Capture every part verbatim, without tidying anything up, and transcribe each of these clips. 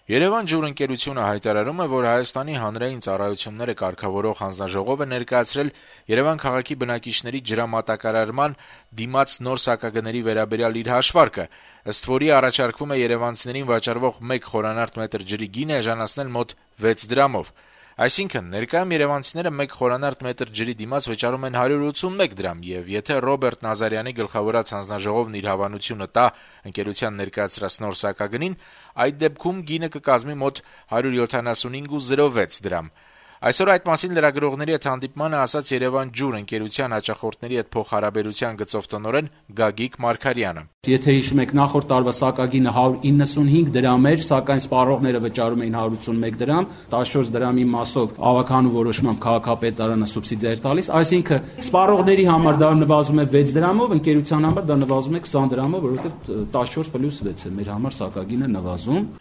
Երևան ջուր ընկերությունը հայտարարում է, որ Հայաստանի հանրային ծառայությունները կարգավորող հանձնաժողովը ներկայացրել Երևան քաղաքի բնակիչների ջրամատակարարման դիմաց նոր սակագների վերաբերյալ իր հաշվարկը, ըստ որի առաջարկվում է երևանցիներին վաճառվող մեկ խորանարդ մետր ջրի գինը էժանացնել մոտ վեց դրամով։ Այսինքն, ներկայում երևանցիները մեկ խորանարդ մետր ջրի դիմաց վճարում են հարյուր ութսունմեկ դրամ, եւ եթե Ռոբերտ Նազարյանի գլխավորած հանձնաժողովն իր հավանությունը տա ընկերության ներկայացրած նոր սակագնին, այդ դեպքում գինը կկազմի մոտ հարյուր յոթանասունհինգ ու զրո վեց դրամ։ Այսօր այդ մասին լրագրողների հետ հանդիպմանը ասաց Երևան ջուր ընկերության հաճախորդների հետ փոխհարաբերության գծով տնօրեն Գագիկ Մարգարյանը։ Եթե հիշում եք, նախորդ տարվա սակագինը հարյուր իննսունհինգ դրամ էր, սակայն սպառողները վճարում էին հարյուր ութսունմեկ դրամ, տասնչորս դրամի մասով ավականու որոշմամբ քաղաքապետարանը սուբսիդիա էր տալիս, այսինքն սպառողների համար դա նվազում է վեց դրամով, ընկերության համար դա նվազում է քսան դրամով, որովհետև տասնչորս պլյուս վեց է մեր համար սակագինը նվազում։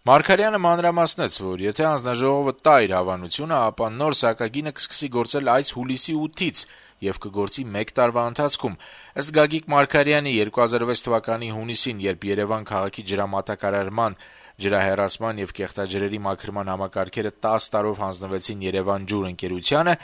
Մարգարյանը մանրամասնեց, որ եթե հանձնաժողովը տա իր հավանությունը, ապա նոր սակագինը կսկսի գործել այս հուլիսի ութից եւ կգործի մեկ տարվա ընթացքում։ Ըստ Գագիկ Մարգարյանի երկու հազար վեց թվականի հունիսին, երբ Երևան քաղաքի ջրամատակարարման, ջրահեռացման եւ կեղտաջրերի մաքրման համակարգերը տասը տարով հանձնվեցին Երևան ջուր ընկերությանը,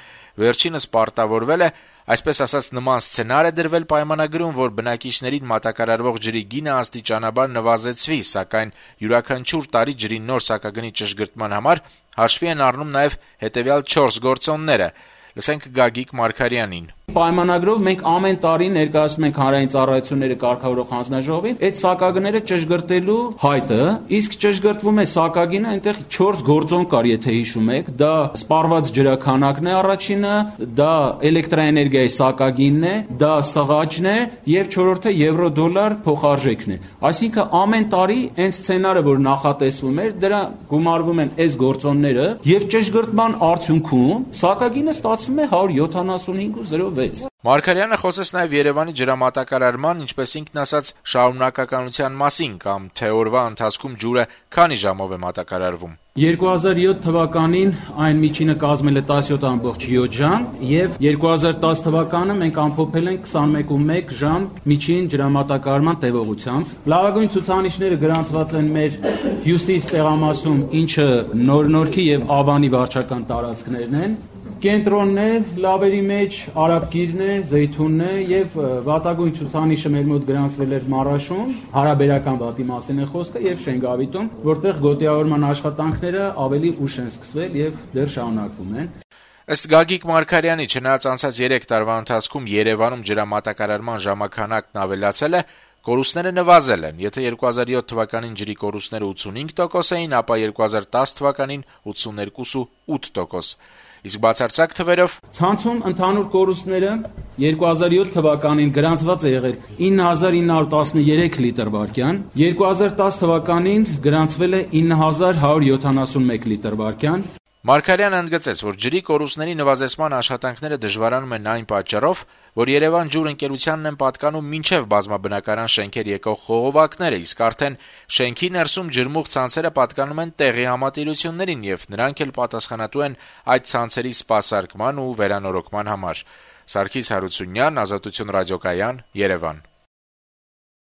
վերջինս պարտավորվել է, այսպես ասած, նման սցենար է դրվել պայմանագրում, որ բնակիչներին մատակարարվող ջրի գինը աստիճանաբար նվազեցվի, սակայն յուրաքանչյուր տարի ջրի նոր սակագնի ճշգրտման համար հաշվի են առնում նաեւ հետեւյալ չորս գործոնները։ Լսենք Գագիկ Մարգարյանին։ Պայմանագրով մենք ամեն տարի ներկայացնում ենք հանրային ծառայությունները կարգավորող հանձնաժողովին այդ սակագները ճշգրտելու հայտը, իսկ ճշգրտվում է սակագինը, այնտեղ չորս գործոն կար, եթե հիշում եք, դա սպառված ջրաքանակն է առաջինը, դա էլեկտրաէներգիայի սակագինն է, դա սղաճն է եւ չորրորդը եվրո-դոլար փոխարժեքն է։ Այսինքն ամեն տարի այն սցենարը, որ նախատեսվում էր, դրա գումարվում են այս գործոնները եւ ճշգրտման արդյունքում սակագինը ստացվում է հարյուր յոթանասունհինգ ու զրո վեց։ Մարգարյանը խոսեց նաեւ Երևանի ջրամատակարարման, ինչպես ինքն ասաց, շարունակականության մասին, կամ թե օրվա ընթացքում ջուրը քանի ժամով է մատակարարվում։ երկու հազար յոթ թվականին այն միջինը կազմել է տասնյոթ ամբողջ յոթ ժամ եւ երկու հազար տասը թվականը մենք ամփոփել ենք քսանմեկ ու մեկ ժամ միջին ջրամատակարարման տևողությամբ։ Լավագույն ցուցանիշները գրանցված են մեր հյուսիս տեղամասում, ինչը Նոր-Նորքի եւ Ավանի վարչական տարածքներն են։ Կենտրոնն է, լավերի մեջ Արաբկիրն է, Զեյթունն է եւ վատագույն ցուցանիշը մեր մոտ գրանցվել էր Մարաշում, հարաբերական վատի մասին է խոսքը եւ Շենգավիտում, որտեղ գոտիավորման աշխատանքները ավելի ուշ են սկսվել եւ դեռ շարունակվում են։ Ըստ Գագիկ Մարգարյանի, չնայած անցած երեք տարվա ընթացքում Երևանում ջրամատակարարման ժամանականակն ավելացել է, կորուստները նվազել են։ Եթե երկու հազար յոթ թվականին ջրի կորուստները ութսունհինգ տոկոս էին, ապա երկու հազար տասը թվականին ութսուներկու ու ութ տոկոս։ Իսկ բացարձակ թվերով ցանցում ընդհանուր կորուստները երկու հազար յոթ թվականին գրանցված է եղել ինը հազար ինը հարյուր տասներեք լիտր վարկյան, երկու հազար տասը թվականին գրանցվել է ինը հազար հարյուր յոթանասունմեկ լիտր վարկյան։ Մարգարյանը ընդգծեց, որ ջրի կորուստների նվազեցման աշխատանքները դժվարանում են այն պատճառով, որ Երևան ջուր ընկերությանն են պատկանում մինչև բազմաբնակարան շենքեր եկող խողովակները, իսկ արդեն շենքի ներսում ջրմուղ ցանցերը պատկանում են տեղի համատիրություններին եւ նրանք էլ պատասխանատու են այդ ցանցերի սպասարկման ու վերանորոգման համար։ Սարգիս Հարությունյան, Ազատություն ռադիոկայան, Երևան։